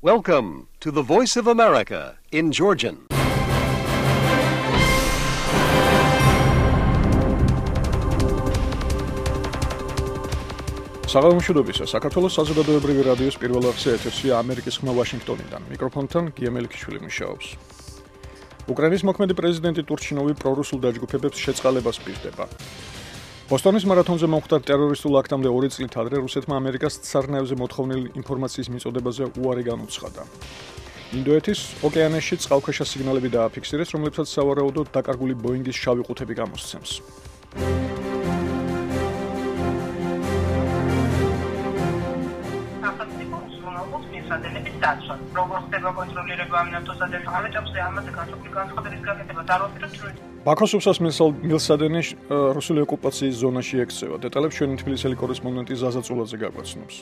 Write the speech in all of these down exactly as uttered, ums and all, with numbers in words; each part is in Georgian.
Welcome to the Voice of America in Georgian. საღამოშობისა საქართველოს საზოგადოებრივი რადიოს პირველ არხზე ეთერშია ამერიკის ხმა ვაშინგტონიდან. მიკროფონთან გიემელიქიშვილი მუშაობს. უკრაინის მოქმედი პრეზიდენტი ტურჩინოვი პრორუსულ დაჯგუფებებს შეწყალებას პირდება. ბოსტონის მარათონზე მომხდარ ტერორისტულ აქტამდე ორი წლით ადრე რუსეთმა ამერიკას ცარნაევზე მოთხოვნილი ინფორმაციის მიწოდებაზე უარი განუცხადა. ინდოეთის ოკეანეში წყალქვეშა სიგნალები დააფიქსირეს, რომლებსაც სავარაუდოდ დაკარგული ბოინგის შავი ყუთები გამოსცემს. ბაქოს უსას მილსადენი რუსული ოკუპაციის ზონაში ექცევა. დეტალებს ჩვენი თბილისელი კორესპონდენტი ზაზა წულაძე გაგვაცნობს.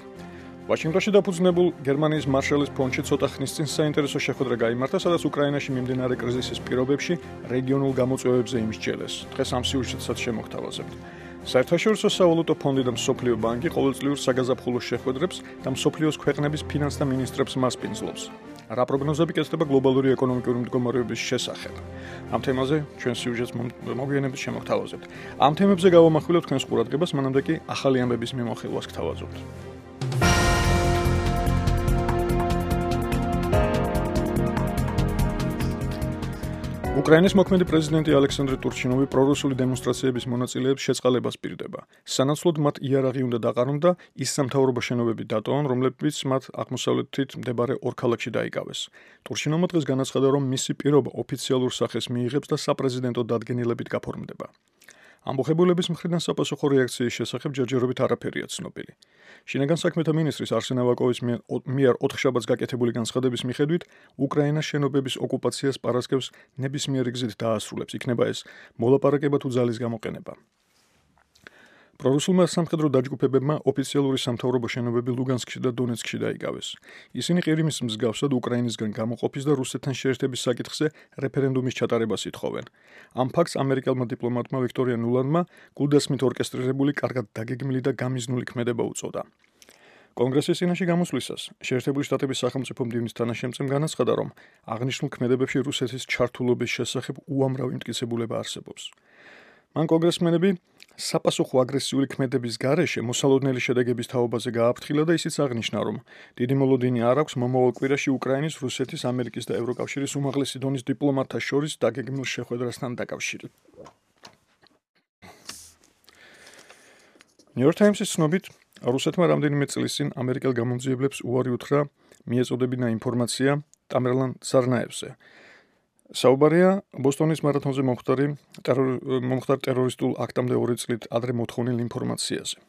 ვაშინგტონში დაფუძნებულ გერმანიის მარშალის ფონდში ცოტა ხნის წინ საინტერესო შეხვედრა გაიმართა, სადაც უკრაინაში მიმდინარე კრიზისის პირობებში რეგიონულ გამოწვევებზე იმსჯელეს. დღეს ამ სიუჟეტსაც შემოგთავაზებთ. საერთაშორისო სავალუტო ფონდი და მსოფლიო ბანკი ყოველწლიურ საგაზაფხულო შეხვედრებს და მსოფლიოს ქვეყნების ფინანსთა მინისტრებს მასპინძლობს. რა პროგნოზები კეთდება გლობალური ეკონომიკური მდგომარეობის შესახებ? ამ თემაზე ჩვენ სიუჟეტს მოგვიანებით შემოგთავაზებთ. ამ თემებზე გავამახვილებთ თქვენს ყურადღებას, მანამდე კი ახალი ამბების მიმოხილვას გთავაზობთ. უკრაინის მოქმედი პრეზიდენტი ალექსანდრე ტურჩინოვი პრორუსული დემონსტრაციების მონაწილეებს შეწყალებას პირდება. სანაცვლოდ მათ იარაღი უნდა დაყარონ და ის სამთავრობო შენობები დატოვონ, რომლებიც მათ აღმოსავლეთით მდებარე ორ ქალაქში დაიკავეს. ტურჩინოვმა დღეს განაცხადა, რომ მისი პირობა ოფიციალურ სახეს მიიღებს და საპრეზიდენტო დადგენილებით გაფორმდება. ამბოხებულების მხრიდან საპასუხო რეაქციის შესახებ ჯერჯერობით არაფერია ცნობილი. შინაგან საქმეთა მინისტრის არსენ ავაკოვის მიერ ოთხშაბათს გაკეთებული განცხადების მიხედვით, უკრაინას შენობების ოკუპაციას პარასკევს ნებისმიერი გზით დაასრულებს, იქნება ეს მოლაპარაკება თუ ძალის გამოყენება. პრორუსულმა სამხედრო დაჯგუფებებმა ოფიციალური სამთავრობო შენობები ლუგანსკში და დონეცკში დაიკავეს. ისინი ყირიმის მსგავსად უკრაინისგან გამოყოფის და რუსეთთან შეერთების საკითხზე რეფერენდუმის ჩატარებას ითხოვენ. ამ ფაქტს ამერიკელმა დიპლომატმა ვიქტორია ნულანმა გულდასმით ორკესტრირებული, კარგად დაგეგმილი და გამიზნული ქმედება უწოდა. კონგრესის წინაშე გამოსვლისას შეერთებული შტატების სახელმწიფო მდივნის თანაშემწემ განაცხადა, რომ აღნიშნულ ქმედებებში რუსეთის ჩართულობის შესახებ უამრავი მტკიცებულება არსებობს. მან კონგრესმენები საპასუხო აგრესიული ქმედების გარეშე მოსალოდნელი შედეგების თაობაზე გააფრთხილა და ისიც აღნიშნა, რომ დიდი მოლოდინი არ აქვს მომავალ კვირაში უკრაინის, რუსეთის, ამერიკის და ევროკავშირის უმაღლესი დონის დიპლომატთა შორის დაგეგმილ შეხვედრასთან დაკავშირებით. New York Times-ის ცნობით, რუსეთმა რამდენიმე წლის წინ ამერიკელ გამომძიებლებს უარი უთხრა მიეწოდებინა ინფორმაცია ტამერლან ცარნაევზე. საუბარია ბოსტონის მარათონზე მომხდარი მომხდარ ტერორისტულ აქტამდე ორი წლით ადრე მოთხოვნილ ინფორმაციაზე.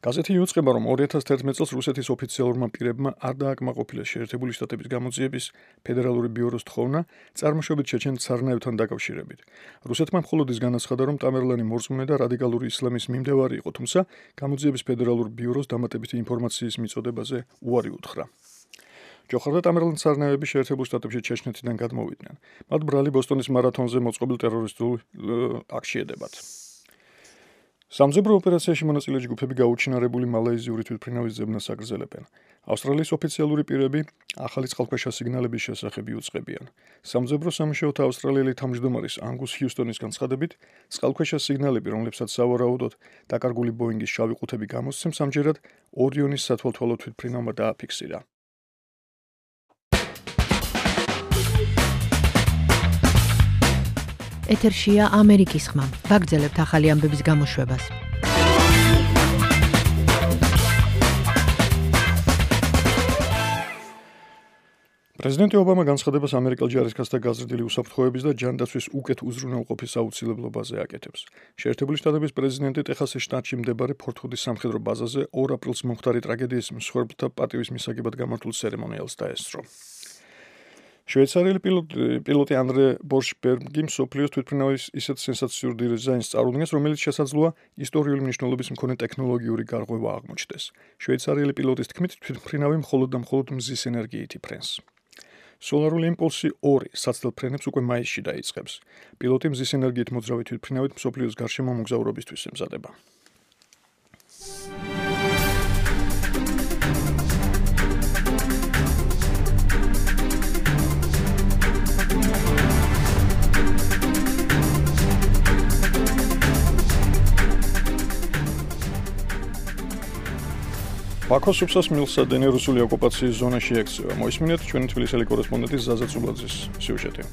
გაზეთი იუწყება, რომ ორი ათას თერთმეტ წელს რუსეთის ოფიციალურმა პირებმა არ დააკმაყოფილეს შეერთებული შტატების გამოძიების ფედერალური ბიუროს თხოვნა წარმოშობით ჩეჩენ ცარნაევთან დაკავშირებით. რუსეთმა მხოლოდ ის განაცხადა, რომ ტამერლანი მორწმუნე და რადიკალური ისლამის მიმდევარი იყო, თუმცა გამოძიების ფედერალურ ბიუროს დამატებითი ინფორმაციის მიწოდებაზე უარი უთხრა. ჯოხარ და ტამერლან ცარნაევები შეერთებულ შტატებში ჩეჩნეთიდან გადმოვიდნენ. მათ ბრალი ბოსტონის მარათონზე მოწყობილ ტერორისტულ აქტში ედებათ. სამძებრო ოპერაციაში მონაწილე ჯგუფები გაუჩინარებული მალაიზიური თვითმფრინავის ძებნას აგრძელებენ. ავსტრალიის ოფიციალური პირები ახალი წყალქვეშა სიგნალების შესახებ იუწყებიან. სამძებრო სამუშაოთა ავსტრალიელი თავმჯდომარის ანგუს ჰიუსტონის განცხადებით, წყალქვეშა სიგნალები, რომლებსაც სავარაუდოდ დაკარგული ბოინგის შავი ყუთები გამოსცემს, ამჯერად ორიონის სათვალთვალო თვითმფრინავმა დააფიქსირა. ეთერშია ამერიკის ხმა. ვაგრძელებთ ახალი ამბების გამოშვებას. პრეზიდენტი ობამა განცხადებას ამერიკელ ჯარისკაცთა გაზრდილი უსაფრთხოების და ჯანდაცვის უკეთ უზრუნველყოფის აუცილებლობაზე აკეთებს. შეერთებული შტატების პრეზიდენტი ტეხასის შტატში მდებარე ფორტ-ჰუდის სამხედრო ბაზაზე ორ აპრილს მომხდარი ტრაგედიის მსხვერპლთა პატივის მისაგებად გამართულ ცერემონიალს დაესწრო. შვეიცარიელი პილოტი ანდრე ბორშბერგი მსოფლიოს თვითმფრინავის ისეთ სენსაციურ დიზაინს წარუდგენს, რომელიც შესაძლოა ისტორიული მნიშვნელობის მქონე ტექნოლოგიური გარღვევა აღმოჩნდეს. შვეიცარიელი პილოტის თქმით, თვითმფრინავი მხოლოდ და მხოლოდ მზის ენერგიით იფრენს. სოლარული იმპულსი ორი საცდელ ფრენებს უკვე მაისში დაიწყებს. პილოტი მზის ენერგიით მოძრავი თვითმფრინავით მსოფლიოს გარშემო მოგზაურობისთვის ემზადება. ბაქოს სუფსას მილსადენი რუსული ოკუპაციის ზონაში ექცევა. მოისმინეთ ჩვენი თბილისელი კორესპონდენტის ზაზა წულაძის სიუჟეტი.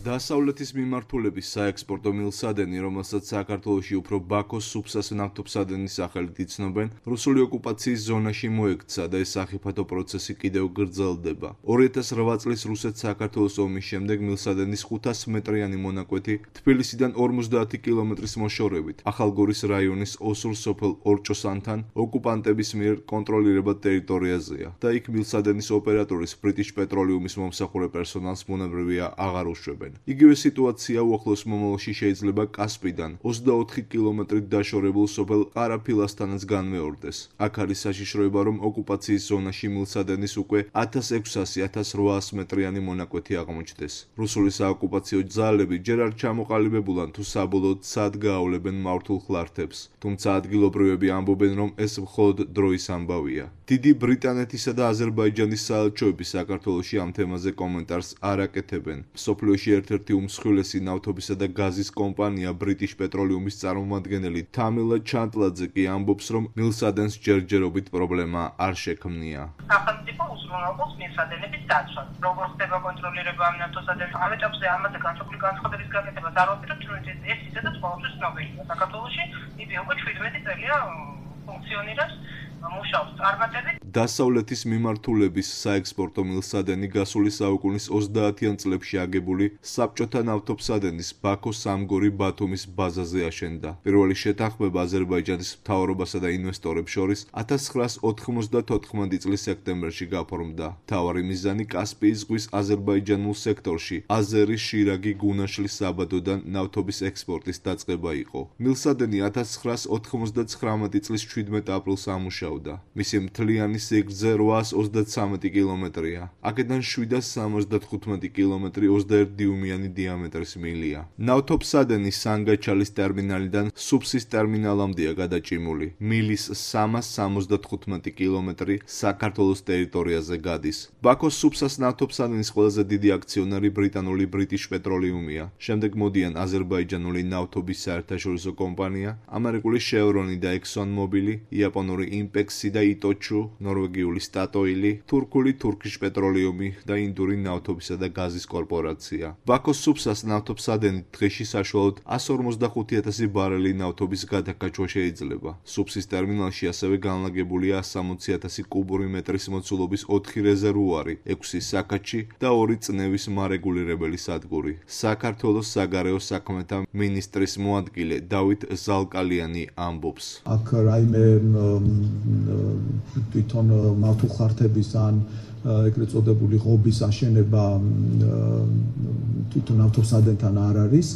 დასავლეთის მიმართულების საექსპორტო მილსადენი, რომელსაც საქართველოში უფრო ბაქოს სუფსას ნავთობსადენის სახელით იცნობენ, რუსული ოკუპაციის ზონაში მოექცა და ეს სახიფათო პროცესი კიდევ გრძელდება. ორი ათას რვა წლის რუსეთ-საქართველოს ომის შემდეგ მილსადენის ხუთას მეტრიანი მონაკვეთი თბილისიდან ორმოცდაათი კილომეტრის მოშორებით ახალგორის რაიონის ოსურ სოფელ ორჭოსანთან ოკუპანტების მიერ კონტროლირებად ტერიტორიაზეა და იქ მილსადენის ოპერატორის ბრიტიშ პეტროლიუმის მომსახურე პერსონალს მონებრივია აღარ უშვებენ. იგივე სიტუაცია უახლოს მომავალში შეიძლება კასპიდან ოცდაოთხი კილომეტრით დაშორებულ სოფელ ყარაფილასთანაც განმეორდეს. აქ არის საშიშროება, რომ ოკუპაციის ზონაში მილსადენის უკვე ათას ექვსასი - ათას რვაას მეტრიანი მონაკვეთი აღმოჩნდეს. რუსული საოკუპაციო ძალები ჯერ არ ჩამოყალიბებულან თუ საბოლოოდ სად გაავლებენ მართულ ხლართებს, თუმცა ადგილობრივები ამბობენ, რომ ეს მხოლოდ დროის ამბავია. დიდი ბრიტანეთისა და აზერბაიჯანის საელჩოები საქართველოში ამ თემაზე კომენტარს არ აკეთებენ. მსოფლიოში ერთ-ერთი უმსხვილესი ნავთობისა და გაზის კომპანია ბრიტიშ პეტროლიუმის წარმომადგენელი თამილა ჩანტლაძე კი ამბობს, რომ მილსადენს ჯერჯერობით პრობლემა არ შექმნია. სახელმწიფო უზრუნველყოფს მილსადენების დაცვას. როგორ ხდება კონტროლირება ამ ნავთობსადენის ამეტებზე ამაზე განსხვავებული განცხადების გაკეთებას არ ვაპირებთ, რომ ეს ისედაც ყოველთვის ცნობილია. საქართველოში იგი უკვე შვიდმეტი წელია ფუნქციონირებს. მუშაობს წარმატებით. დასავლეთის მიმართულების საექსპორტო მილსადენი გასული საუკუნის ოცდაათიან წლებში აგებული საბჭოთა ნავთობსადენის ბაქოს სამგორი ბათუმის ბაზაზე აშენდა. პირველი შეთანხმება აზერბაიჯანის მთავრობასა და ინვესტორებს შორის ათას ცხრაას ოთხმოცდათოთხმეტი წლის სექტემბერში გაფორმდა. მთავარი მიზანი კასპიის ზღვის აზერბაიჯანულ სექტორში აზერის შირაგი გუნაშლის საბადოდან ნავთობის ექსპორტის დაწყება იყო. მილსადენი ათას ცხრაას ოთხმოცდაცხრამეტი წლის შვიდმეტ აპრილს ამუშავდა. მისი მთლიანი სიგრძე რვაას ოცდაცამეტი კილომეტრია. აქედან შვიდას სამოცდათხუთმეტი კილომეტრი ოცდაერთი დიუმიანი დიამეტრის მილია. ნავთობსადენის სანგაჩალის ტერმინალიდან სუფსის ტერმინალამდეა გადაჭიმული. მილის სამას სამოცდათხუთმეტი კილომეტრი საქართველოს ტერიტორიაზე გადის. ბაქოს სუფსას ნავთობსადენის ყველაზე დიდი აქციონერი ბრიტანული ბრიტიშ პეტროლიუმია. შემდეგ მოდიან აზერბაიჯანული ნავთობის საერთაშორისო კომპანია, ამერიკული შევრონი და ექსონმობილი, იაპონური იმპექსი და იტოჩუ, ნორვეგიული სტატოილი, თურქული თურქიშ პეტროლიუმი და ინდური ნავთობისა და გაზის კორპორაცია. ბაქოს სუფსას ნავთობსადენით დღეში საშუალოდ εκατს ორმოცდახუთი ათასი ბარელი ნავთობის გადაკაჩვა შეიძლება. სუფსის ტერმინალში ასევე განლაგებულია εκατს სამოცი ათასი კუბური მეტრის მოცულობის ოთხი რეზერვუარი, ექვსი საკაჩი და ორი წნევის მარეგულირებელი სადგური. საქართველოს საგარეო საქმეთა მინისტრის მოადგილე დავით ზალკალიანი ამბობს. აქ რაიმე თვითონ მავთულხართების ან ეგრეთ წოდებული ღობის აშენება თვითონ ნავთობსადენთან არ არის,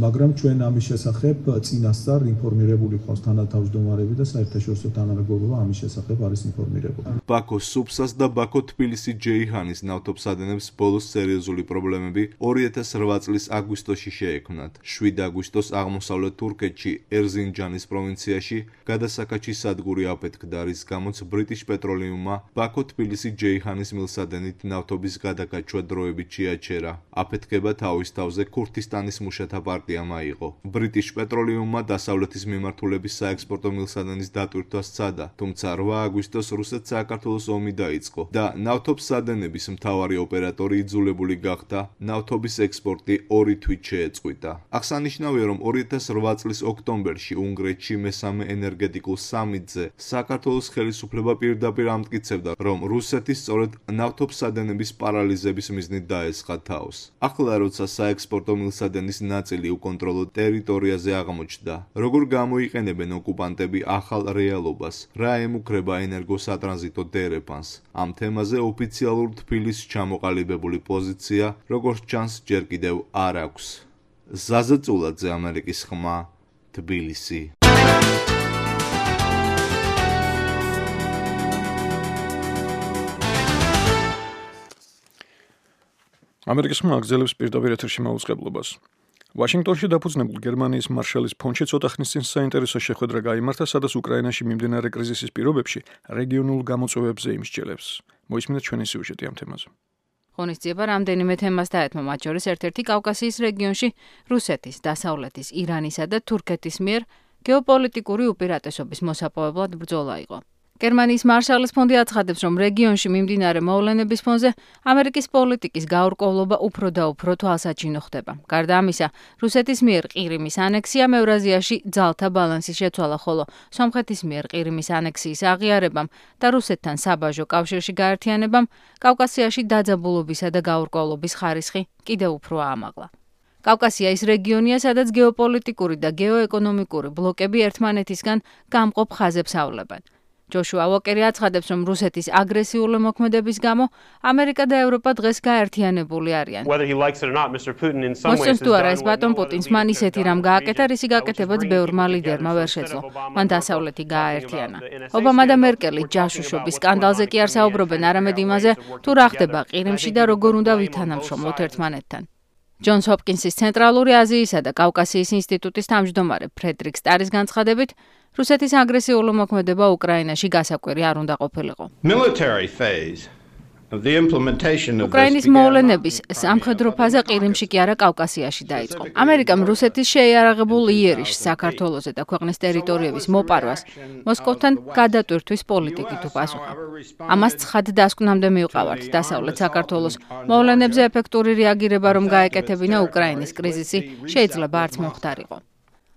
მაგრამ ჩვენ ამის შესახებ წინასწარ ინფორმირებული ხავს თანათავმჯდომარები და საერთაშორისო თანამეგობრობა ამის შესახებ არის ინფორმირებული. ბაქოს სუფსას და ბაქო-თბილისი-ჯეიჰანის ნავთობსადენებს ბოლოს სერიოზული პრობლემები ორი ათას რვა წლის აგვისტოში შეექმნათ. შვიდ აგვისტოს აღმოსავლეთ თურქეთში ერზინჯანის პროვინციაში გადასაკაჩის სადგური აფეთქდა, რის გამოც ბრიტიშ პეტროლიუმმა ბაქო-თბილისი-ჯეიჰანის მილსადენით ნავთობის გადაკაჩვა დროებით შეაჩერა. აფეთქება თავის თავზე ქურთისტანის მუშათა პარტიამ აიღო. ბრიტიშ პეტროლიუმმა დასავლეთის მიმართულების საექსპორტო მილსადენის დატვირთვა სცადა, თუმცა რვა აგვისტოს რუსეთ-საქართველოს ომი დაიწყო და ნავთობსადენების მთავარი ოპერატორი იძულებული გახდა ნავთობის ექსპორტი ორი თვით შეეწყვიტა. აღსანიშნავია, რომ ორი ათას რვა წლის ოქტომბერში უნგრეთში მესამე ენერგეტიკულ სამიტზე საქართველოს ხელისუფლება პირდაპირ ამტკიცებდა, რომ რუსეთი სწორედ ნავთობსადენების პარალიზების მიზნით დაესხა თავს. ახლა როცა საექსპორტო მილსადენის ნაწილი უკონტროლო ტერიტორიაზე აღმოჩნდა, როგორ გამოიყენებენ ოკუპანტები ახალ რეალობას, რა ემუქრება ენერგოსატრანზიტო დერეფანს. ამ თემაზე ოფიციალურ თბილისს ჩამოყალიბებული პოზიცია, როგორც ჩანს, ჯერ კიდევ არ აქვს. ზაზა წულაძე, ამერიკის ხმა, თბილისი. ამერიკის ხმა აგზელებს პირდაპირ ეთერში მაუწყებლობას. ვაშინგტონში დაფუძნებულ გერმანიის მარშალის ფონდში ცოტა ხნის წინ საინტერესო შეხვედრა გაიმართა, სადაც უკრაინაში მიმდინარე კრიზისის პირობებში რეგიონულ გამოწვევებზე იმსჯელებს. მოისმინეთ ჩვენი სიუჟეტი ამ თემაზე. ღონისძიება რამდენიმე თემას დაეთმო, მათ შორის ერთ-ერთი კავკასიის რეგიონში რუსეთის, დასავლეთის, ირანისა და თურქეთის მიერ გეოპოლიტიკური უპირატესობის მოსაპოვებლად ბრძოლა იყო. გერმანიის მარშალის ფონდი აცხადებს, რომ რეგიონში მიმდინარე მოვლენების ფონზე ამერიკის პოლიტიკის გაურკვევლობა უფრო და უფრო თვალსაჩინო ხდება. გარდა ამისა, რუსეთის მიერ ყირიმის ანექსიამ ევრაზიაში ძალთა ბალანსის შეცვალა, ხოლო სომხეთის მიერ ყირიმის ანექსიის აღიარებამ და რუსეთთან საბაჟო კავშირში გაერთიანებამ კავკასიაში დაძაბულობისა და გაურკვევლობის ხარისხი კიდევ უფრო აამაღლა. კავკასია ის რეგიონია, სადაც გეოპოლიტიკური და გეოეკონომიკური ბლოკები ერთმანეთისგან გამყოფ ხაზებს ავლებენ. ჯოშუა უოკერი აცხადებს, რომ რუსეთის აგრესიული მოქმედების გამო ამერიკა და ევროპა დღეს გაერთიანებული არიან. მოსწონს თუ არა ეს ბატონ პუტინს მან ისეთი რამ გააკეთა, რისი გაკეთებაც ბევრმა ლიდერმა ვერ შეძლო. მან დასავლეთი გააერთიანა. ობამა და მერკელი ჯაშუშობის სკანდალზე კი არ საუბრობენ არამედ იმაზე, თუ რა ხდება ყირიმში და როგორ უნდა ვითანამშრომლოთ ერთმანეთთან. ჯონს ჰოპკინსის ცენტრალური აზიისა და კავკასიის ინსტიტუტის თავმჯდომარე ფრედრიკ სტარის განცხადებით, რუსეთის აგრესიული მოქმედება უკრაინაში გასაკვირი არ უნდა ყოფილიყო. უკრაინის მოვლენების სამხედრო ფაზა ყირიმში კი არა კავკასიაში დაიწყო. ამერიკამ რუსეთის შეიარაღებულ იერიშს საქართველოზე და ქვეყნის ტერიტორიების მოპარვას მოსკოვთან გადატვირთვის პოლიტიკით უპასუხა. ამას ცხად დასკვნამდე მივყავართ დასავლეთ საქართველოს მოვლენებზე ეფექტური რეაგირება რომ გაეკეთებინა უკრაინის კრიზისი შეიძლება არც მომხდარიყო.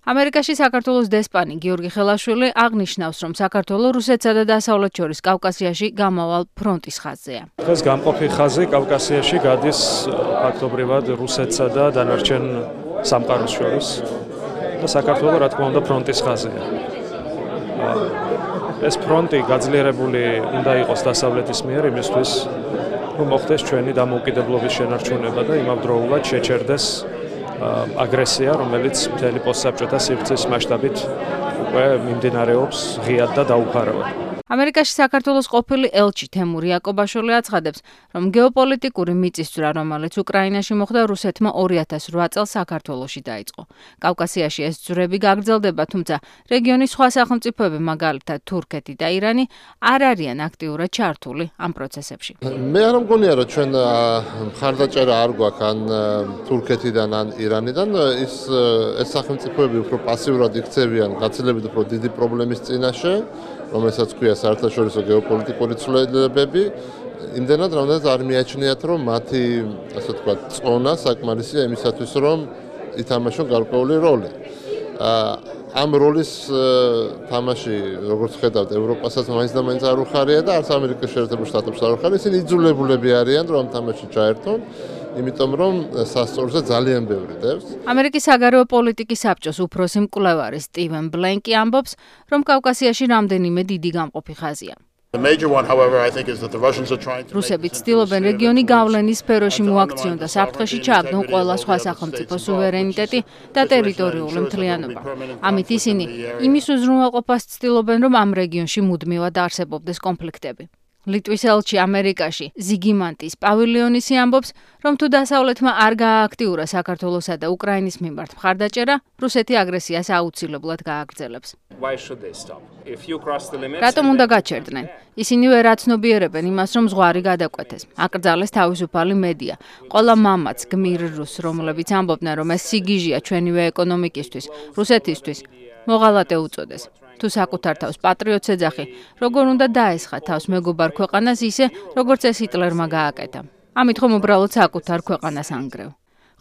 ამერიკაში საქართველოს დესპანი გიორგი ხელაშვილი აღნიშნავს, რომ საქართველო რუსეთსა და დასავლეთ შორის კავკასიაში გამავალ ფრონტის ხაზზეა. დღეს გამყოფი ხაზი კავკასიაში გადის ფაქტობრივად რუსეთსა და დანარჩენ სამყაროს შორის და საქართველო რა თქმა უნდა ფრონტის ხაზია. ეს ფრონტი გაძლიერებული უნდა იყოს დასავლეთის მიერ იმისთვის, რომ მოხდეს ჩვენი დამოუკიდებლობის შენარჩუნება და იმავდროულად შეჩერდეს აგრესია, რომელიც მთელი პოსტსაბჭოთა სივრცის მასშტაბით უკვე მიმდინარეობს ღიად და დაუფარავად. ამერიკაში საქართველოს ყოფილი ელჩი თემური იაკობაშვილი აცხადებს, რომ გეოპოლიტიკური მიწისძვრა, რომელიც უკრაინაში მოხდა, რუსეთმა ორი ათას რვა წელს საქართველოში დაიწყო. კავკასიაში ეს ძვრები გაგრძელდება, თუმცა რეგიონის სხვა სახელმწიფოები, მაგალითად თურქეთი და ირანი, არ არიან აქტიურად ჩართული ამ პროცესებში. მე არ მგონია, რომ ჩვენ მხარდაჭერა არ გვაქვს ან თურქეთიდან ან ირანიდან, ის ეს სახელმწიფოები უფრო პასიურად იქცევიან გაცილებით უფრო დიდი პრობლემის წინაშე, რომელსაც ქვია საერთაშორისო გეოპოლიტიკური ცვლილებები, იმდენად რამდენად არ მიაჩნიათ, რომ მათი, ასე ვთქვათ, წონა საკმარისია იმისათვის, რომ ითამაშონ გარკვეული როლი. ამ როლის თამაში, როგორც ხედავთ, ევროპასაც მაინც და მაინც არ უხარია და არც ამერიკის შეერთებულ შტატებს არ უხარია, ისინი იძულებულები არიან, რომ ამ თამაში ჩაერთონ. იმიტომ რომ სასწორზე ძალიან ბევრი დევს. ამერიკის საგარეო პოლიტიკის საბჭოს უფროსი მკვლევარი სტივენ ბლენკი ამბობს, რომ კავკასიაში რამდენიმე დიდი გამყოფი ხაზია. რუსები ცდილობენ რეგიონი გავლენის სფეროში მოაქციონ და საფრთხეში ჩააგდონ ყველა სხვა სახელმწიფოს სუვერენიტეტი და ტერიტორიული მთლიანობა. ამით ისინი იმის უზრუნველყოფას ცდილობენ, რომ ამ რეგიონში მუდმივად არსებობდეს კონფლიქტები. ლიტვის ელჩი ამერიკაში ზიგიმანტის პავილიონისი ამბობს, რომ თუ დასავლეთმა არ გაააქტიურა საქართველოსა და უკრაინის მიმართ მხარდაჭერა, რუსეთი აგრესიას აუცილებლად გააგრძელებს. რატომ უნდა გაჩერდნენ? ისინი ვერ აცნობიერებენ იმას, რომ ზღვარი გადაკვეთეს. აკრძალეს თავისუფალი მედია. ყველა მამაც გმირ რუსს, რომლებიც ამბობდნენ, რომ ეს სიგიჟია ჩვენივე ეკონომიკისთვის, რუსეთისთვის, მოღალატე უწოდეს. თუ საკუთარ თავს პატრიოტს ეძახი, როგორ უნდა დაესხა თავს მეგობარ ქვეყანას ისე, როგორც ეს ჰიტლერმა გააკეთა. ამით ხომ უბრალოდ საკუთარ ქვეყანას ანგრევ.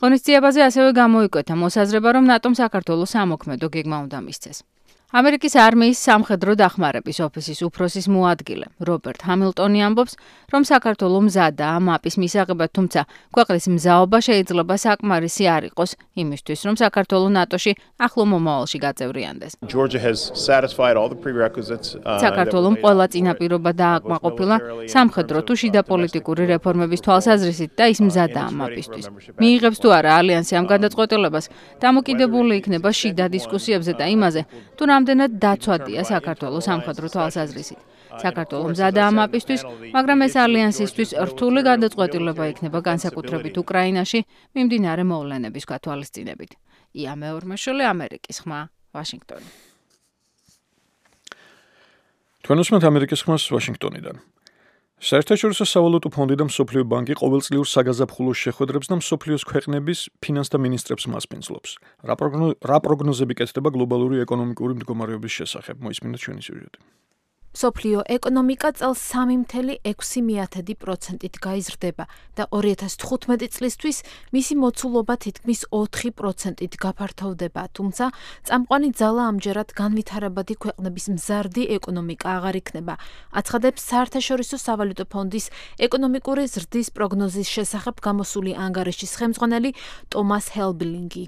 ღონისძიებაზე ასევე გამოიკვეთა მოსაზრება, რომ ნატომ საქართველოს სამოქმედო გეგმა უნდა მისცეს. ამერიკის არმიის სამხედრო დახმარების ოფისის უფროსის მოადგილე რობერტ ჰამილტონი ამბობს, რომ საქართველო მზადაა მაპის მისაღებად, თუმცა ქვეყნის მზაობა შეიძლება საკმარისი არ იყოს იმისთვის, რომ საქართველო ნატოში ახლო მომავალში გაწევრიანდეს. საქართველომ ყველა წინაპირობა დააკმაყოფილა სამხედრო თუ შიდა პოლიტიკური რეფორმების თვალსაზრისით და ის მზადაა მაპისთვის. მიიღებს თუ არა ალიანსი ამ გადაწყვეტილებას, დამოკიდებული იქნება შიდა დისკუსიებზე და იმაზე, თუ რამდენად დაცვადია საქართველოს სამხედრო თვალსაზრისით. საქართველო მზადაა მაპისთვის, მაგრამ ეს ალიანსისთვის რთული გადაწყვეტილება იქნება განსაკუთრებით უკრაინაში მიმდინარე მოვლენების გათვალისწინებით. ია მეორმაშვილი, ამერიკის ხმა, ვაშინგტონი. თქვენ უსმენთ ამერიკის ხმას ვაშინგტონიდან. საერთაშორისო სავალუტო ფონდი და მსოფლიო ბანკი ყოველწლიურ საგაზაფხულო შეხვედრებს და მსოფლიოს ქვეყნების ფინანსთა მინისტრებს მასპინძლობს. რა პროგნოზები კეთდება გლობალური ეკონომიკური მდგომარეობის შესახებ? მოისმინეთ ჩვენი სიუჟეტი. მსოფლიო ეკონომიკა წელს სამი მცდელო ექვსი პროცენტით გაიზრდება და ორი ათას თხუთმეტი წლისთვის მისი მოცულობა თითქმის ოთხი პროცენტით გაფართოვდება, თუმცა წამყვანი ძალა ამჯერად განვითარებადი ქვეყნების მზარდი ეკონომიკა აღარ იქნება, აცხადებს საერთაშორისო სავალუტო ფონდის ეკონომიკური ზრდის პროგნოზის შესახებ გამოსული ანგარიშის ხელმძღვანელი ტომას ჰელბლინგი.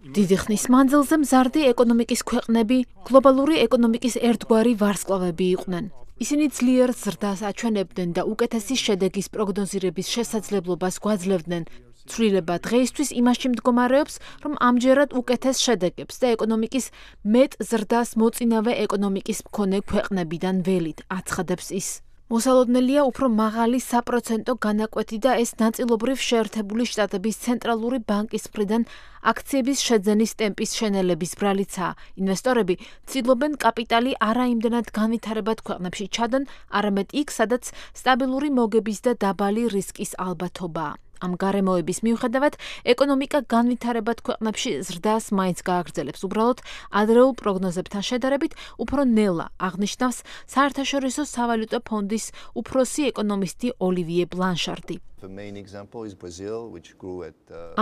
დიდი ხნის მანძილზე მზარდი ეკონომიკის ქვეყნები გლობალური ეკონომიკის ერთგვარი ვარსკვლავები იყვნენ. ისინი ძლიერ ზრდას აჩვენებდნენ და უკეთესი შედეგის პროგნოზირების შესაძლებლობას გვაძლევდნენ. ცვლილება დღეისთვის იმაში მდგომარეობს, რომ ამჯერად უკეთეს შედეგებს და ეკონომიკის მეტ ზრდას მოწინავე ეკონომიკის მქონე ქვეყნებიდან ველით, აცხადებს ის. მოსალოდნელია უფრო მაღალი საპროცენტო განაკვეთი და ეს ნაწილობრივ შეერთებული შტატების ცენტრალური ბანკის მხრიდან აქციების შეძენის ტემპის შენელების ბრალიცაა. ინვესტორები ცდილობენ კაპიტალი არა იმდენად განვითარებად ქვეყნებში ჩადონ, არამედ იქ, სადაც სტაბილური მოგების და დაბალი რისკის ალბათობაა. ამ გარემოების მიუხედავად, ეკონომიკა განვითარებად ქვეყნებში ზრდას მაინც გააგრძელებს. უბრალოდ ადრეულ პროგნოზებთან შედარებით უფრო ნელა, აღნიშნავს საერთაშორისო სავალუტო ფონდის უფროსი ეკონომისტი ოლივიე ბლანშარდი.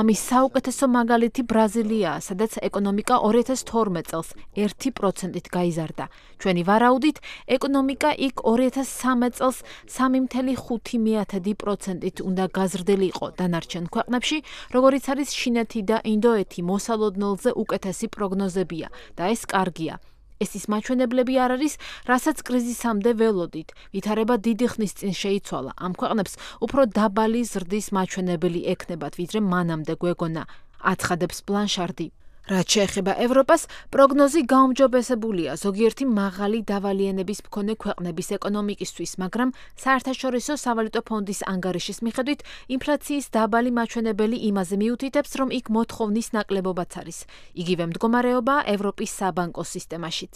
ამის საუკეთესო მაგალითი ბრაზილიაა, სადაც ეკონომიკა ორი ათას თორმეტ წელს ერთი პროცენტით გაიზარდა. ჩვენი ვარაუდით, ეკონომიკა იქ ორი ათას სამი წელს სამი მცდელო ხუთი პროცენტით უნდა გაზრდილიყო. დანარჩენ ქვეყნებში, როგორიც არის ჩინეთი და ინდოეთი, მოსალოდნელზე უკეთესი პროგნოზებია და ეს კარგია. ეს ის მაჩვენებლები არ არის, რასაც კრიზისამდე ველოდით. ვითარება დიდი ხნის წინ შეიცვალა. ამ ქვეყნებს უფრო დაბალი ზრდის მაჩვენებელი ექნებათ, ვიდრე მანამდე გვეგონა, აცხადებს ბლანშარდი. რაც შეეხება ევროპას, პროგნოზი გაუმჯობესებულია ზოგიერთი მაღალი დავალიანების მქონე ქვეყნების ეკონომიკისთვის, მაგრამ საერთაშორისო სავალუტო ფონდის ანგარიშის მიხედვით, ინფლაციის დაბალი მაჩვენებელი იმაზე მიუთითებს, რომ იქ მოთხოვნის ნაკლებობაც არის. იგივე მდგომარეობაა ევროპის საბანკო სისტემაშიც.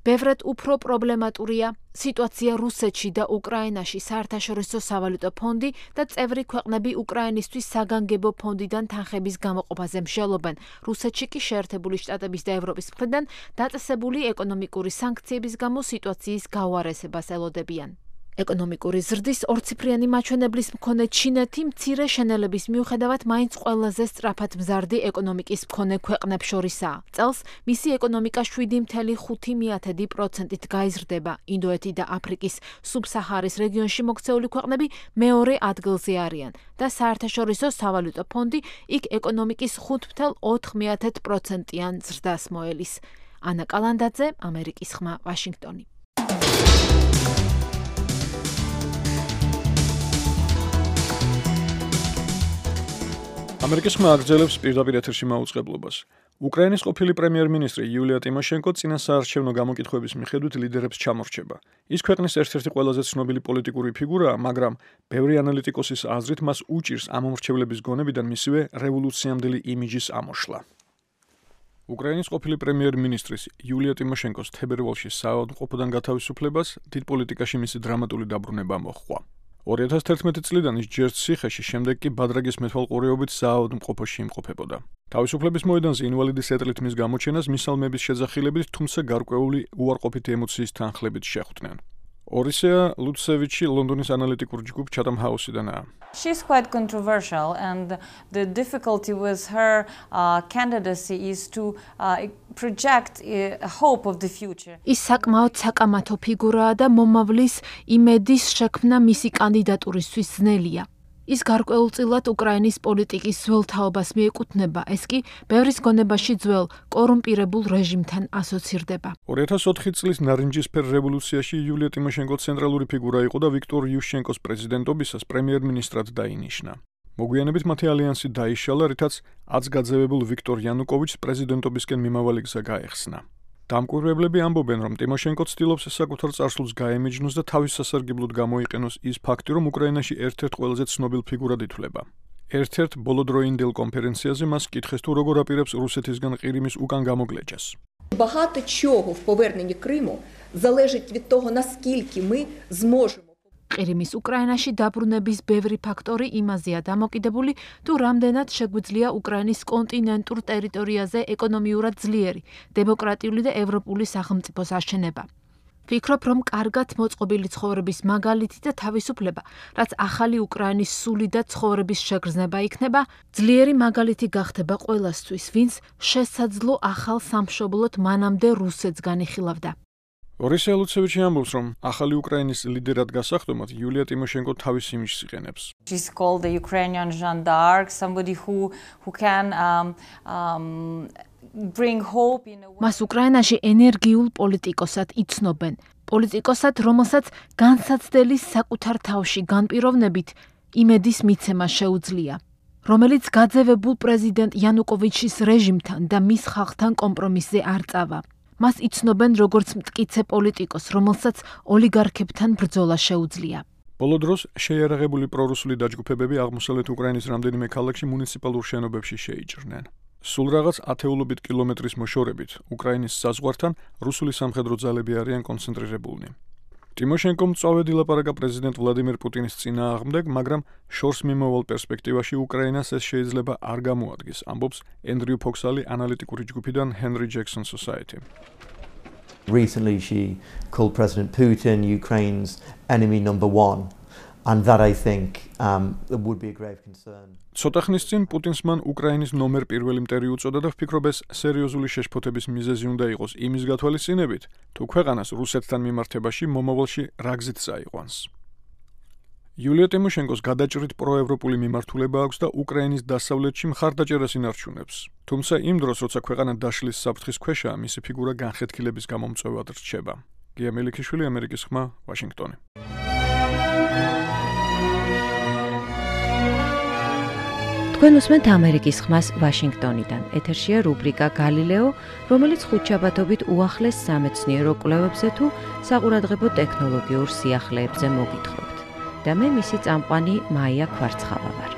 ბევრად უფრო პრობლემატურია სიტუაცია რუსეთში და უკრაინაში. საერთაშორისო სავალუტო ფონდი და წევრი ქვეყნები უკრაინისთვის საგანგებო ფონდიდან თანხების გამოყოფაზე მსჯელობენ. რუსეთში კი შეერთებული შტატების და ევროპის მხრიდან დაწესებული ეკონომიკური სანქციების გამო სიტუაციის გაუარესებას ელოდებიან. ეკონომიკური ზრდის ორციფრიანი მაჩვენებლის მქონე ჩინეთი მცირე შენელების მიუხედავად მაინც ყველაზე სწრაფად მზარდი ეკონომიკის მქონე ქვეყნებს შორისაა. წელს მისი ეკონომიკა შვიდი მცდელო ხუთი პროცენტით გაიზრდება. ინდოეთი და აფრიკის სუბსაჰარის რეგიონში მოქცეული ქვეყნები მეორე ადგილზე არიან და საერთაშორისო სავალუტო ფონდი იქ ეკონომიკის ხუთ მცდელო ოთხ პროცენტიან ზრდას მოელის. ანა კალანდაძე, ამერიკის ხმა, ვაშინგტონი. ამერიკის ხმა აგრძელებს პირდაპირ ეთერში მაუწყებლობას. უკრაინის ყოფილი პრემიერ-მინისტრი იულია ტიმოშენკო წინა საარჩევნო გამოკითხვების მიხედვით ლიდერებს ჩამორჩება. ის ქვეყნის ერთ-ერთი ყველაზე ცნობილი პოლიტიკური ფიგურაა, მაგრამ ბევრი ანალიტიკოსის აზრით მას უჭირს ამ მომრჩევლების გონებიდან მისივე რევოლუციამდელი იმიჯის ამოშლა. უკრაინის ყოფილი პრემიერ-მინისტრის იულია ტიმოშენკოს თებერვალში საავადმყოფოდან გათავისუფლებას დიდ პოლიტიკაში მისი დრამატული დაბრუნება მოჰყვა. ორი ათას თერთმეტი წლიდან ის ჯერ ციხეში, შემდეგ კი ბადრაგის მეთვალყურეობით საავადმყოფოში იმყოფებოდა. თავისუფლების მოედანზე ინვალიდის ეტლით მის გამოჩენას მისალმების შეძახილებით, თუმცა გარკვეული უარყოფითი ემოციის თანხლებით შეხვდნენ. ორისეა ლუცევიჩი ლონდონის ანალიტიკურ ჯგუფ Chatham House-დანაა. She's quite controversial and the difficulty with her uh, candidacy is to uh, project a hope of the future. ის საკმაოდ საკამათო ფიგურაა და მომავლის იმედის შექმნა მისი კანდიდატურისთვის ძნელია. ის გარკვეულწილად უკრაინის პოლიტიკის ძველ თაობას მიეკუთვნება, ეს კი ბევრის გონებაში ძველ კორუმპირებულ რეჟიმთან ასოცირდება. ორი ათას ოთხი წლის ნარინჯისფერ რევოლუციაში იულია ტიმოშენკო ცენტრალური ფიგურა იყო და ვიქტორ იუშჩენკოს პრეზიდენტობისას პრემიერ-მინისტრად დაინიშნა. მოგვიანებით მათი ალიანსი დაიშალა, რითაც ათს გაძევებულ ვიქტორ იანუკოვიჩს პრეზიდენტობისკენ მიმავალი გზა გაეხსნა. დამკვირვებლები ამბობენ, რომ ტიმოშენკო ცდილობს საკუთარ წარსულს გაემიჯნოს და თავის სასარგებლოდ გამოიყენოს ის ფაქტი, რომ უკრაინაში ერთ-ერთ ყველაზე ცნობილ фигурად ითვლება. ერთ-ერთ ბოლოდროინდელ კონფერენციაზე მას კითხეს, თუ როგორ აპირებს რუსეთისგან ყირიმის უკან გამოგლეჯას. Багато чого в поверненні Криму залежить від того, наскільки ми зможемо. ყირიმის უკრაინაში დაბრუნების ბევრი ფაქტორი იმაზეა დამოკიდებული, თუ რამდენად შეგვიძლია უკრაინის კონტინენტურ ტერიტორიაზე ეკონომიურად ძლიერი, დემოკრატიული და ევროპული სახელმწიფოს აშენება. ვფიქრობ, რომ კარგად მოწყობილი ცხოვრების მაგალითი და თავისუფლება, რაც ახალი უკრაინის სული და ცხოვრების შეგრძნება იქნება, ძლიერი მაგალითი გახდება ყველასთვის, ვინც შესაძლო ახალ სამშობლოდ მანამდე რუსეთს განიხილავდა. ბორისი ელუცევიჩი ამბობს, რომ ახალი უკრაინის ლიდერად გასახდომად იულია ტიმოშენკო თავის იმიჯს იყენებს. She's called the Ukrainian Jeanne d'Arc, somebody who who can um, um, bring hope in a way. მას უკრაინაში ენერგიულ პოლიტიკოსად იცნობენ. პოლიტიკოსად, რომელსაც განსაცდელი საკუთარ თავში განპიროვნებით იმედის მიცემა შეუძლია. რომელიც გაძევებულ პრეზიდენტ იანუკოვიჩის რეჟიმთან და მის ხალხთან კომპრომისზე არ წავა. მას იცნობენ როგორც მტკიცე პოლიტიკოს, რომელსაც ოლიგარქებთან ბრძოლა შეუძლია. ბოლო დროს შეიარაღებული პრორუსული დაჯგუფებები აღმოსავლეთ უკრაინის რამდენიმე ქალაქში მუნიციპალურ შენობებში შეიჭრნენ. სულ რაღაც ათეულობით კილომეტრის მოშორებით უკრაინის საზღვართან რუსული სამხედრო ძალები არიან კონცენტრირებულნი. ტიმოშენკომ მწვავედ ილაპარაკა პრეზიდენტ ვლადიმერ პუტინის წინააღმდეგ, მაგრამ შორს მიმავალ პერსპექტივაში უკრაინას ეს შეიძლება არ გამოადგეს, ამბობს ენდრიუ ფოქსალი ანალიტიკური ჯგუფიდან Henry Jackson Society. Recently she called President Putin Ukraine's enemy number one. And that I think um, would be a grave concern. ცოტა ხნის წინ პუტინს მან უკრაინის ნომერ პირველი მტერი უწოდა და ვფიქრობ ეს სერიოზული შეშფოთების მიზეზი უნდა იყოს იმის გათვალისწინებით, თუ ქვეყანას რუსეთთან მიმართებაში მომავალში რა გზით წაიყვანს. იულია ტიმოშენკოს გადაჭრით პროევროპული მიმართულება აქვს და უკრაინის დასავლეთში მხარდაჭერას ინარჩუნებს. თუმცა იმ დროს, როცა ქვეყანა დაშლის საფრთხის ქვეშაა, მისი ფიგურა განხეთქილების გამომწვევად რჩება. გია მელიქიშვილი, ამერიკის ხმა, ვაშინგტონი. თქვენ უსმენთ ამერიკის ხმას ვაშინგტონიდან. ეთერშია რუბრიკა გალილეო, რომელიც ხუთშაბათობით უახლეს სამეცნიერო კვლევებზე თუ საყურადღებო ტექნოლოგიურ სიახლეებზე მოგითხრობთ. და მე მისი წამყვანი მაია ქვარცხავა ვარ.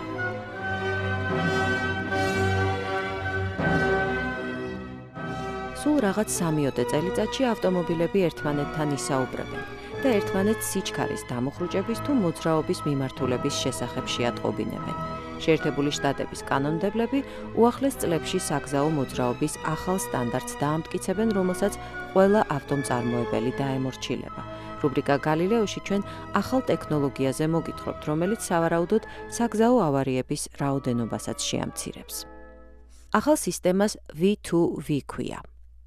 სულ რაღაც სამიოდე წელიწადში ავტომობილები ერთმანეთთან ისაუბრებენ და ერთმანეთს სიჩქარის დამუხრუჭების თუ მოძრაობის მიმართულების შესახებ შეატყობინებენ. შეერთებული შტატების კანონმდებლები უახლეს წლებში საგზაო მოძრაობის ახალ სტანდარტს დაამტკიცებენ, რომელსაც ყველა ავტომწარმოებელი დაემორჩილება. რუბრიკა გალილეოში ჩვენ ახალ ტექნოლოგიაზე მოგითხრობთ, რომელიც სავარაუდოდ საგზაო ავარიების რაოდენობასაც შეამცირებს. ახალ სისტემას V two V ქვია.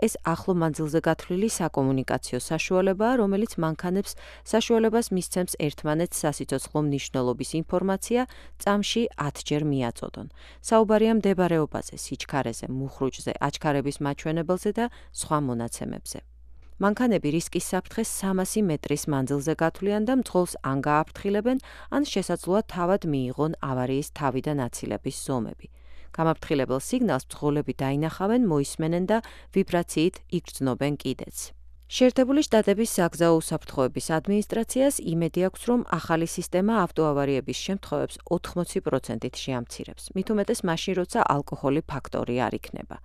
ეს ახლო მანძილზე გათვლილი საკომუნიკაციო საშუალებაა, რომელიც მანქანებს საშუალებას მისცემს ერთმანეთს სასიცოცხლო მნიშვნელობის ინფორმაცია წამში ათჯერ მიაწოდონ. საუბარია მდებარეობაზე, სიჩქარეზე, მუხრუჭზე, აჩქარების მაჩვენებელზე და სხვა მონაცემებზე. მანქანები რისკის საფრთხეს სამასი მეტრის მანძილზე გათვლიან და მძღოლს ან გააფრთხილებენ, ან შესაძლოა თავად მიიღონ ავარიის თავიდან აცილების ზომები. გამაფრთხილებელ სიგნალს მძღოლები დაინახავენ, მოისმენენ და ვიბრაციით იგრძნობენ კიდეც. შეერთებული შტატების საგზაო უსაფრთხოების ადმინისტრაციას იმედი აქვს, რომ ახალი სისტემა ავტოავარიების შემთხვევებს ოთხმოცი პროცენტით შეამცირებს. მით უმეტეს მაშინ, როცა ალკოჰოლი ფაქტორი არ იქნება.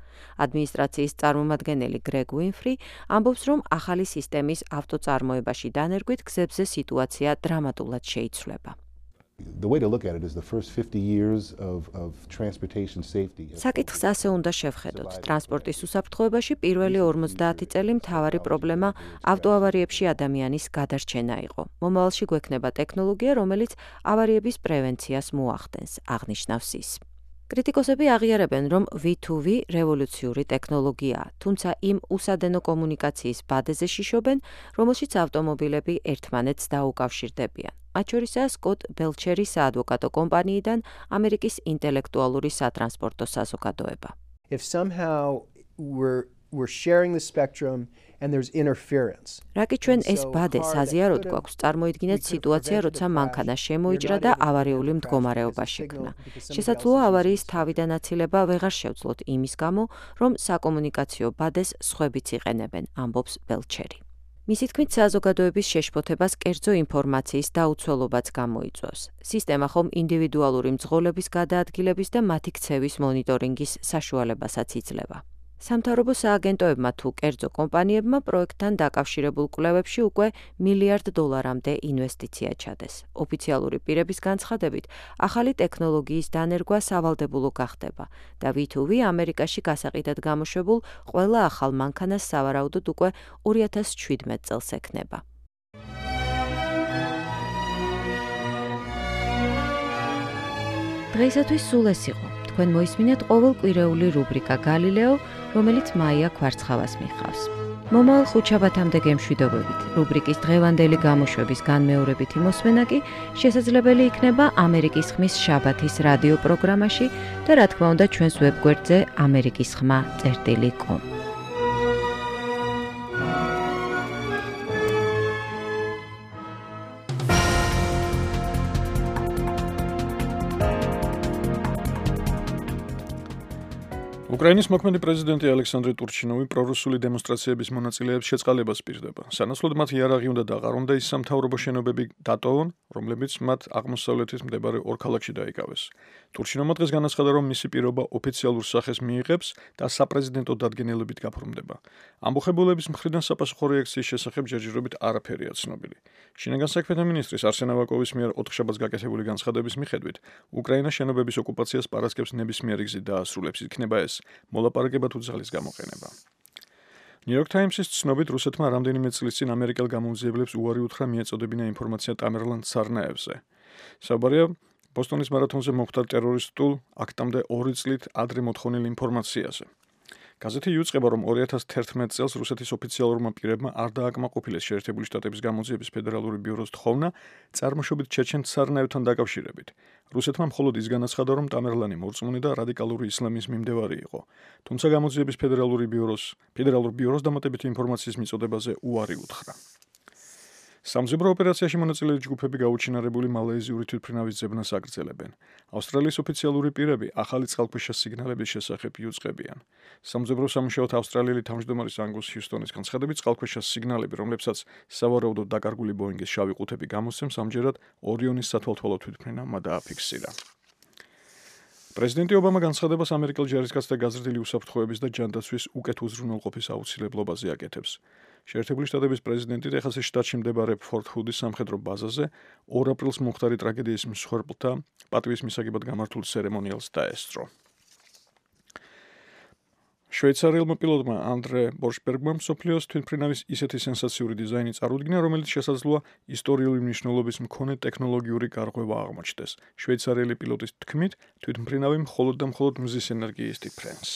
ადმინისტრაციის წარმომადგენელი გრეგ უინფრი ამბობს, რომ ახალი სისტემის ავტოწარმოებაში დანერგვით გზებზე სიტუაცია დრამატულად შეიცვლება. The way to look at it is the first fifty years of of transportation safety. საკითხს ასე უნდა შევხედოთ. ტრანსპორტის უსაფრთხოებაში პირველი ორმოცდაათი წელი მთავარი პრობლემა ავტოავარიებში ადამიანის გადარჩენა იყო. მომავალში გვექნება ტექნოლოგია, რომელიც ავარიების პრევენციას მოახდენს, აღნიშნავს ის. კრიტიკოსები აღიარებენ, რომ V two V რევოლუციური ტექნოლოგიაა, თუმცა იმ უსადენო კომუნიკაციის ბადეზე შიშობენ, რომელშიც ავტომობილები ერთმანეთს დაუკავშირდებიან. მათ შორისაა სკოტ ბელჩერი საადვოკატო კომპანიიდან ამერიკის ინტელექტუალური სატრანსპორტო საზოგადოება. If somehow we're we're sharing the spectrum and there's interference. რაკი ჩვენ ეს ბადე საზიაროდ გვაქვს, წარმოიდგინეთ სიტუაცია, როცა მანქანა შემოიჭრა და ავარიული მდგომარეობა შექმნა. შესაძლოა ავარიის თავიდან აცილება ვეღარ შევძლოთ იმის გამო, რომ საკომუნიკაციო ბადეს სხვებიც იყენებენ, ამბობს ბელჩერი. მისი თქმით, საზოგადოების შეშფოთებას კერძო ინფორმაციის დაუცველობაც გამოიწვევს. სისტემა ხომ ინდივიდუალური მძღოლების გადაადგილების და მათი ქცევის მონიტორინგის საშუალებასაც იძლევა. სამთავრობო სააგენტოებმა თუ კერძო კომპანიებმა პროექტთან დაკავშირებულ კვლევებში უკვე მილიარდ დოლარამდე ინვესტიცია ჩადეს. ოფიციალური პირების განცხადებით, ახალი ტექნოლოგიის დანერგვა სავალდებულო გახდება და ვი თუ ვი ამერიკაში გასაყიდად გამოშვებულ ყველა ახალ მანქანას სავარაუდოდ უკვე ორი ათას შვიდმეტ წელს ექნება. დღეისათვის სულ ეს იყო. თქვენ მოისმინეთ ყოველკვირეული რუბრიკა გალილეო, რომელიც მაია ქვარცხავას მიხავს. მომავალ ხუთშაბათამდე გემშვიდობებით. რუბრიკის დღევანდელი გამოშვების განმეორებითი მოსმენა კი შესაძლებელი იქნება ამერიკის ხმის შაბათის რადიო პროგრამაში და რა თქმა უნდა ჩვენს ვებგვერდზე ამერიკის ხმა წერტილი კომ. უკრაინის მოქმედი პრეზიდენტი ალექსანდრე ტურჩინოვი პრორუსული დემონსტრაციების მონაწილეებს შეწყალებას პირდება. სანაცვლოდ მათ იარაღი უნდა დაყარონ და ის სამთავრობო შენობები დატოვონ, რომლებიც მათ აღმოსავლეთის მდებარე ორ ქალაქში დაიკავეს. ტურჩინოვმა დღეს განაცხადა, რომ მისი პირობა ოფიციალურ სახეს მიიღებს და საპრეზიდენტო დადგენილებით გაფორმდება. ამბოხებულების მხრიდან საპასუხო რეაქციის შესახებ ჯერჯერობით არაფერია ცნობილი. შინაგან საქმეთა მინისტრის არსენ ავაკოვის მიერ ოთხშაბათს გაკეთებული განცხადების მიხედვით, უკრაინა შენობების ოკუპაციას პარასკევს ნებისმიერი გზით დაასრულებს, იქნება ეს მოლაპარაკება თუ ძალის გამოყენება. New York Times-ის ცნობით, რუსეთმა რამდენიმე წლის წინ ამერიკელ გამომძიებლებს უარი უთხრა მიეწოდებინა ინფორმაცია ტამერლან ცარნაევზე. საუბარია ბოსტონის მარათონზე მომხდარ ტერორისტულ აქტამდე ორი წლით ადრე მოთხოვნილ ინფორმაციაზე. გაზეთი იუწყება, რომ ორი ათას თერთმეტ წელს რუსეთის ოფიციალურმა პირებმა არ დააკმაყოფილეს შეერთებული შტატების გამოძიების ფედერალური ბიუროს თხოვნა წარმოშობით ჩეჩენ ცარნაევთან დაკავშირებით. რუსეთმა მხოლოდ ის განაცხადა, რომ ტამერლანი მორწმუნე და რადიკალური ისლამის მიმდევარი იყო. თუმცა გამოძიების ფედერალური ბიუროს ფედერალურ ბიუროს დამატებითი ინფორმაციის მიწოდებაზე უარი უთხრა. სამძებრო ოპერაციაში მონაწილე ჯგუფები გაუჩინარებული მალაიზიური თვითმფრინავის ძებნას აგრძელებენ. ავსტრალიის ოფიციალური პირები ახალი წყალქვეშა სიგნალების შესახებ იუწყებიან. სამძებრო სამუშაოდ ავსტრალიელი თავმჯდომარისანგუს ჰიუსტონის განცხადებით, წყალქვეშა სიგნალები, რომლებსაც სავარაუდოდ დაკარგული ბოინგის შავი ყუთები გამოსცემს, ამჯერად ორიონის სათვალთვალო თვითმფრინავმა დააფიქსირა. პრეზიდენტი ობამა განცხადებას ამერიკელ ჯარისკაცთა გაზრდილი უსაფრთხოების და ჯანდაცვის უკეთ უზრუნველყოფის აუცილებლობაზე აკეთებს. შეერთებული შტატების პრეზიდენტი ტეხასის შტატში მდებარე ფორთ ჰუდის სამხედრო ბაზაზე ორ აპრილს მომხდარი ტრაგედიის მსხვერპლთა პატივის მისაღებად გამართულ ცერემონიალს დაესწრო. შვეიცარიელმა პილოტმა ანდრე ბორშბერგმა მსოფლიოს თვითმფრინავის ისეთი სენსაციური დიზაინი წარუდგინა, რომელიც შესაძლოა ისტორიული მნიშვნელობის მქონე ტექნოლოგიური გარღვევა აღმოჩნდეს. შვეიცარიელი პილოტის თქმით, თვითმფრინავი მხოლოდ და მხოლოდ მზის ენერგიის დიფრენს.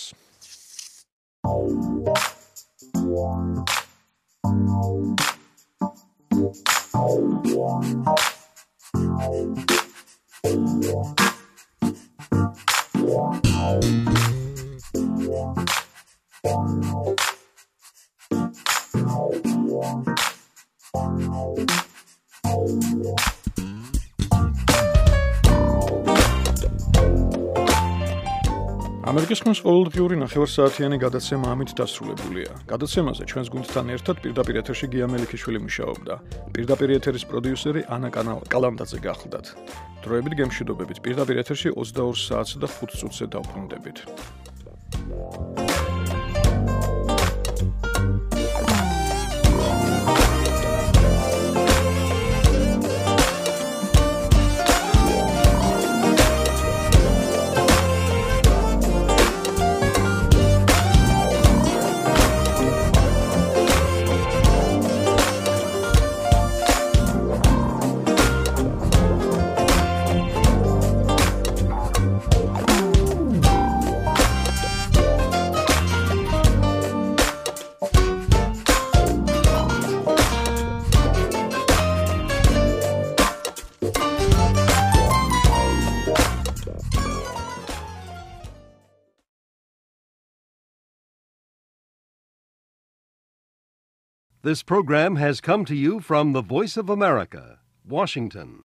ამერიკის ხმის ყოველდღიური ნახევარსაათიანი გადაცემა ამით დასრულებულია. გადაცემაზე ჩვენს გუნდთან ერთად პირდაპირ ეთერში გია მელიქიშვილი მუშაობდა. პირდაპირ ეთერის პროდიუსერი ანა კალანდაძე გახლდათ. დროებით გემშვიდობებით. პირდაპირ ეთერში ოცდაორ საათს და ხუთ წუთზე დავბრუნდებით. This program has come to you from the Voice of America, Washington.